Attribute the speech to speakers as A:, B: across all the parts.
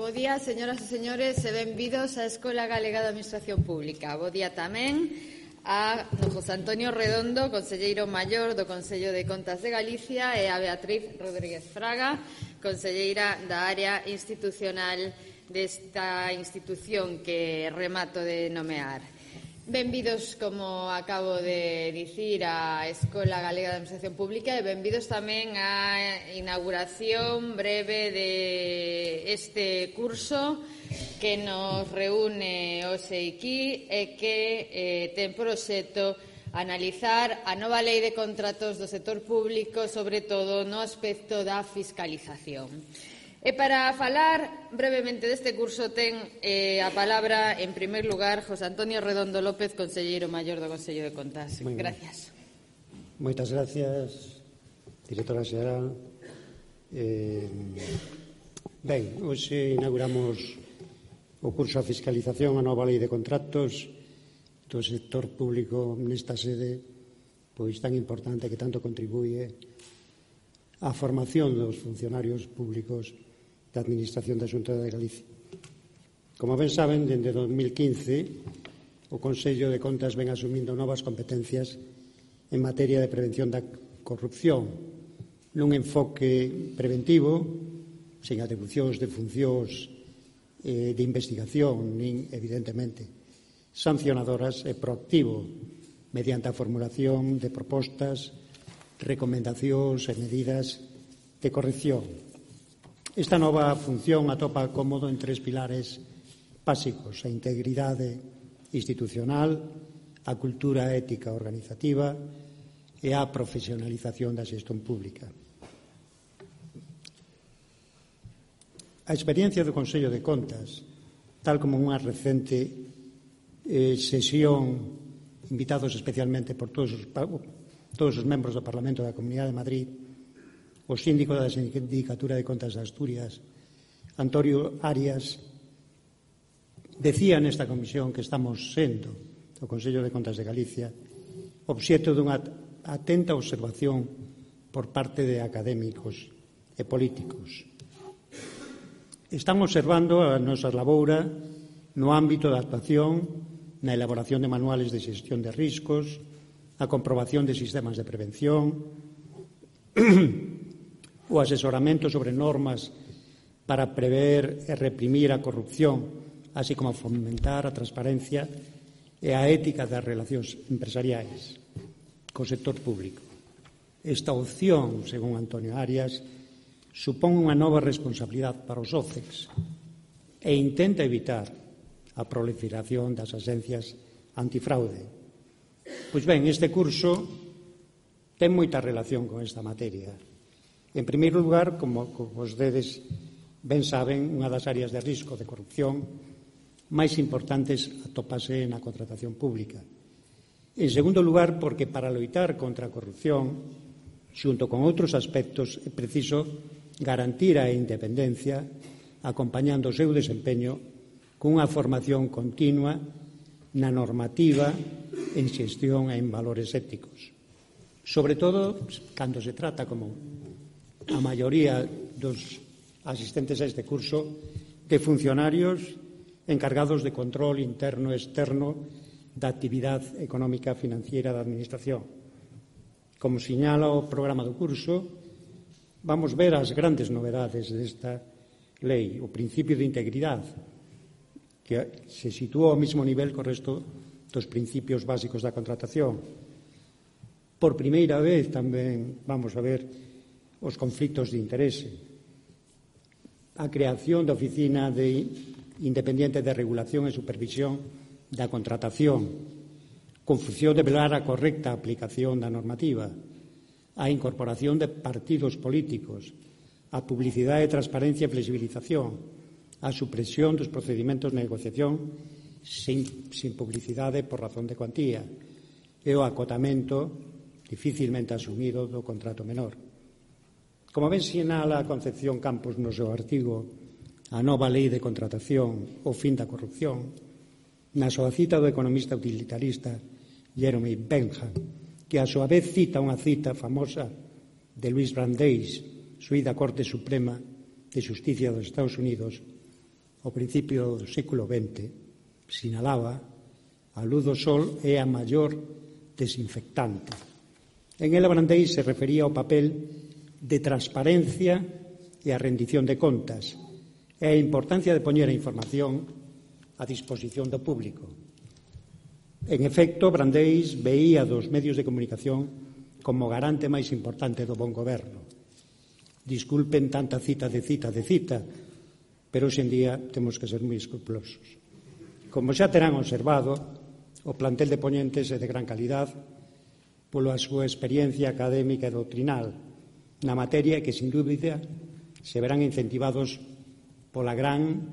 A: Bo día, señoras e señores, e benvidos á Escola Galega de Administración Pública. Bo día tamén a José Antonio Redondo, conselleiro maior do Consello de Contas de Galicia, e a Beatriz Rodríguez Fraga, conselleira da área institucional desta institución que remato de nomear. Benvidos, como acabo de dicir, á Escola Galega de Administración Pública e benvidos tamén á inauguración breve de este curso que nos reúne hoxe aquí e que ten por obxecto analizar a nova lei de contratos do sector público, sobre todo no aspecto da fiscalización. E para falar brevemente deste curso ten a palabra, en primer lugar, José Antonio Redondo López, conselleiro maior do Consello de Contas. Gracias.
B: Moitas gracias, directora xeral. Ben, hoxe inauguramos o curso a fiscalización a nova lei de contratos do sector público nesta sede, pois tan importante que tanto contribuye á formación dos funcionarios públicos da Administración da Xunta de Galicia. Como ben saben, dende 2015 o Consello de Contas ven asumindo novas competencias en materia de prevención da corrupción, nun enfoque preventivo, sen atribucións de funcións de investigación, nin, evidentemente, sancionadoras e proactivo, mediante a formulación de propostas, recomendacións e medidas de corrección. Esta nova función atopa cómodo en tres pilares básicos: a integridade institucional, a cultura ética organizativa e a profesionalización da xestión pública. A experiencia do Consello de Contas, tal como unha recente sesión, invitados especialmente por todos os membros do Parlamento da Comunidade de Madrid, o síndico da Sindicatura de Contas de Asturias, Antonio Arias, decía nesta comisión que estamos sendo, o Consello de Contas de Galicia, obxecto dunha atenta observación por parte de académicos e políticos. Están observando a nosa laboura no ámbito da actuación, na elaboración de manuales de xestión de riscos, a comprobación de sistemas de prevención, o asesoramento sobre normas para prever e reprimir a corrupción, así como fomentar a transparencia e a ética das relacións empresariais co sector público. Esta opción, según Antonio Arias, supón unha nova responsabilidade para os OCEX e intenta evitar a proliferación das axencias antifraude. Pois ben, este curso ten moita relación con esta materia. En primeiro lugar, como vostedes ben saben, unha das áreas de risco de corrupción máis importantes atópase na contratación pública. En segundo lugar, porque para loitar contra a corrupción, xunto con outros aspectos, é preciso garantir a independencia, acompañando o seu desempeño cunha formación continua na normativa, en xestión e en valores éticos. Sobre todo, cando se trata, como a maioría dos asistentes a este curso, de funcionarios encargados de control interno e externo da actividade económica financiera da Administración. Como señala o programa do curso, vamos ver as grandes novedades desta lei. O principio de integridade, que se sitúa ao mesmo nivel co resto dos principios básicos da contratación. Por primeira vez tamén vamos a ver os conflitos de interese, a creación da Oficina Independiente de Regulación e Supervisión da Contratación, con función de velar a correcta aplicación da normativa, a incorporación de partidos políticos, a publicidade, transparencia e flexibilización, a supresión dos procedimentos de negociación sin publicidade por razón de cuantía e o acotamento dificilmente asumido do contrato menor. Como ben sinala a Concepción Campos no seu artigo A nova lei de contratación, o fin da corrupción, na súa cita do economista utilitarista Jeremy Bentham, que a súa vez cita unha cita famosa de Louis Brandeis, xuíz da Corte Suprema de Xusticia dos Estados Unidos, ao principio do século XX, sinalaba a luz do sol é a maior desinfectante. En ela Brandei se refería ao papel de transparencia e a rendición de contas e a importancia de poñer a información a disposición do público. En efecto, Brandeis veía dos medios de comunicación como garante máis importante do bon goberno. Disculpen tanta cita, pero hoxe en día temos que ser moi escrupulosos. Como xa terán observado, o plantel de poñentes é de gran calidad pola súa experiencia académica e doutrinal na materia que, sin dúbida, se verán incentivados pola gran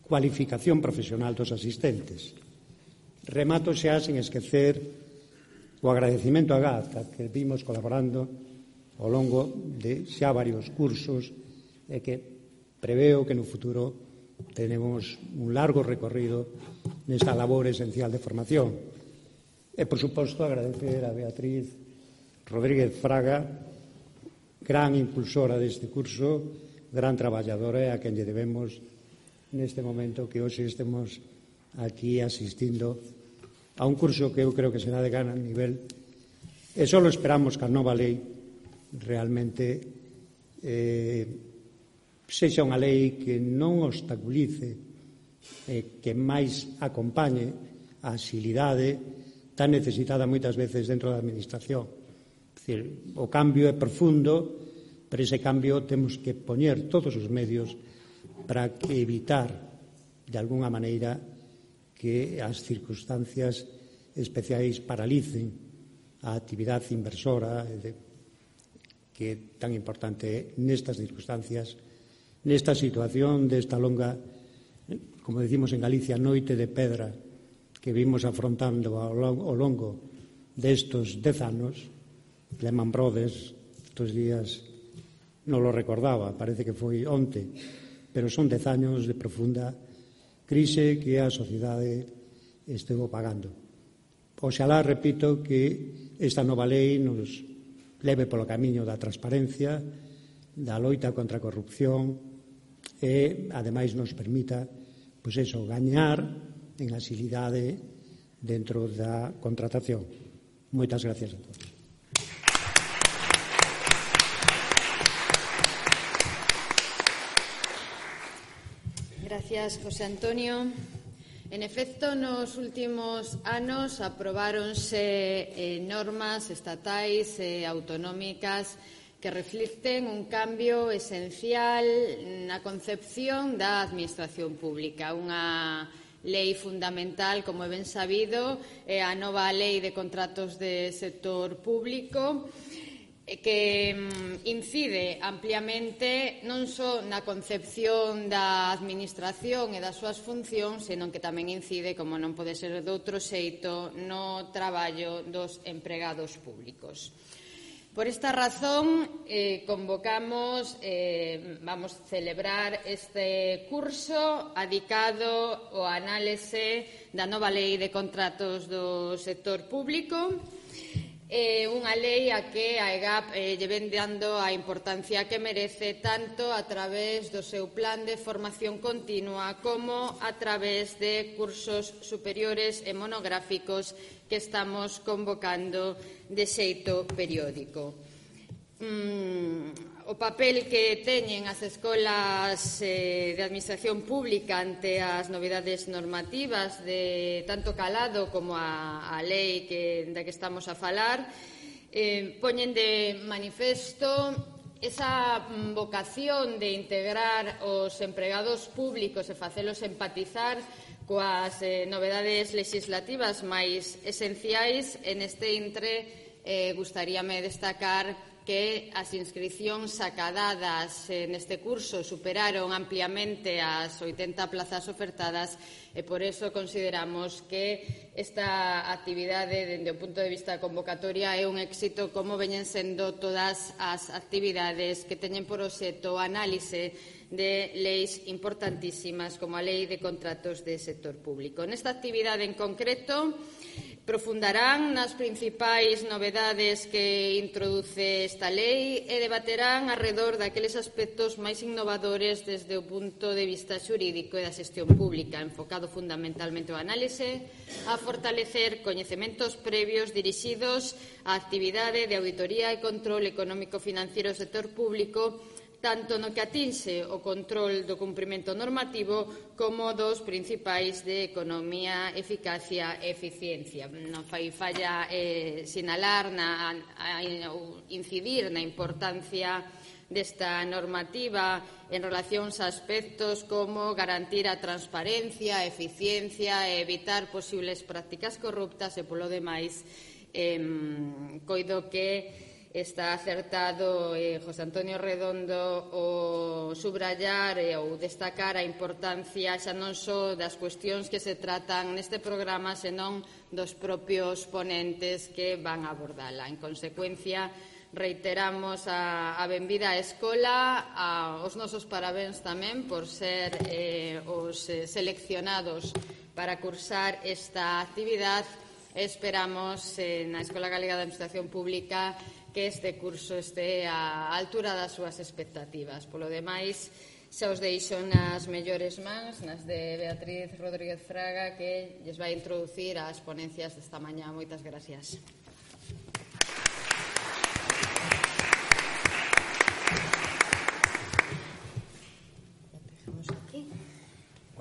B: cualificación profesional dos asistentes. Remato xa sen esquecer o agradecimento a Gata, que vimos colaborando ao longo de xa varios cursos e que preveo que no futuro tenemos un largo recorrido nesta labor esencial de formación. E, por suposto, agradecer a Beatriz Rodríguez Fraga, gran impulsora deste curso, gran traballadora e a quen lle debemos neste momento que hoxe estemos aquí asistindo a un curso que eu creo que será de gran nivel e só esperamos que a nova lei realmente sexa unha lei que non obstaculice e que máis acompañe a axilidade tan necesitada moitas veces dentro da administración. É dicir, o cambio é profundo, pero ese cambio temos que poñer todos os medios para que evitar de alguna maneira que as circunstancias especiais paralicen a actividade inversora que é tan importante nestas circunstancias, nesta situación desta longa, como decimos en Galicia, noite de pedra que vimos afrontando ao longo destos 10 anos. Lehman Brothers estes días non lo recordaba, parece que foi onte, pero son 10 años de profunda crise que a sociedade estivo pagando. Oxalá, repito, que esta nova lei nos leve polo camiño da transparencia, da loita contra a corrupción e, ademais, nos permita, pois eso, gañar en axilidade dentro da contratación. Moitas gracias a todos.
A: Gracias, José Antonio. En efecto, nos últimos anos aprobáronse normas estatais e autonómicas que reflicten un cambio esencial na concepción da administración pública. Unha lei fundamental, como é ben sabido, é a nova lei de contratos de sector público, que incide ampliamente non só na concepción da administración e das súas funcións, senón que tamén incide, como non pode ser doutro xeito, no traballo dos empregados públicos. Por esta razón, convocamos, vamos a celebrar este curso adicado ao análise da nova lei de contratos do sector público, unha lei a que a EGAP lle ven dando a importancia que merece tanto a través do seu plan de formación continua como a través de cursos superiores e monográficos que estamos convocando de xeito periódico. O papel que teñen as escolas de administración pública ante as novidades normativas de tanto calado como a lei da que estamos a falar poñen de manifesto esa vocación de integrar os empregados públicos e facelos empatizar coas novedades legislativas máis esenciais. En este intre gustaríame destacar que as inscricións acadadas neste curso superaron ampliamente as 80 plazas ofertadas e por eso consideramos que esta actividade, dende o punto de vista convocatoria, é un éxito como veñen sendo todas as actividades que teñen por obxecto a análise de leis importantísimas como a Lei de Contratos de Sector Público. Nesta actividade en concreto, Profundarán nas principais novedades que introduce esta lei e debaterán arredor daqueles aspectos máis innovadores desde o punto de vista xurídico e da xestión pública, enfocado fundamentalmente ao análise, a fortalecer coñecementos previos dirixidos á actividade de auditoría e control económico-financiero do sector público, tanto no que atinxe o control do cumprimento normativo como dos principais de economía, eficacia e eficiencia. Non fai falla sinalar ou incidir na importancia desta normativa en relación a aspectos como garantir a transparencia, a eficiencia e evitar posibles prácticas corruptas e, polo demais, coido que está acertado José Antonio Redondo o subrallar ou destacar a importancia xa non só das cuestións que se tratan neste programa, senón dos propios ponentes que van a abordala. En consecuencia, reiteramos a benvida á escola, aos nosos parabéns tamén por ser os seleccionados para cursar esta actividade. Esperamos na Escola Galega de Administración Pública que este curso este á altura das súas expectativas. Polo demais, xa os deixo nas mellores mans, nas de Beatriz Rodríguez Fraga, que lles vai introducir as ponencias desta mañá. Moitas gracias.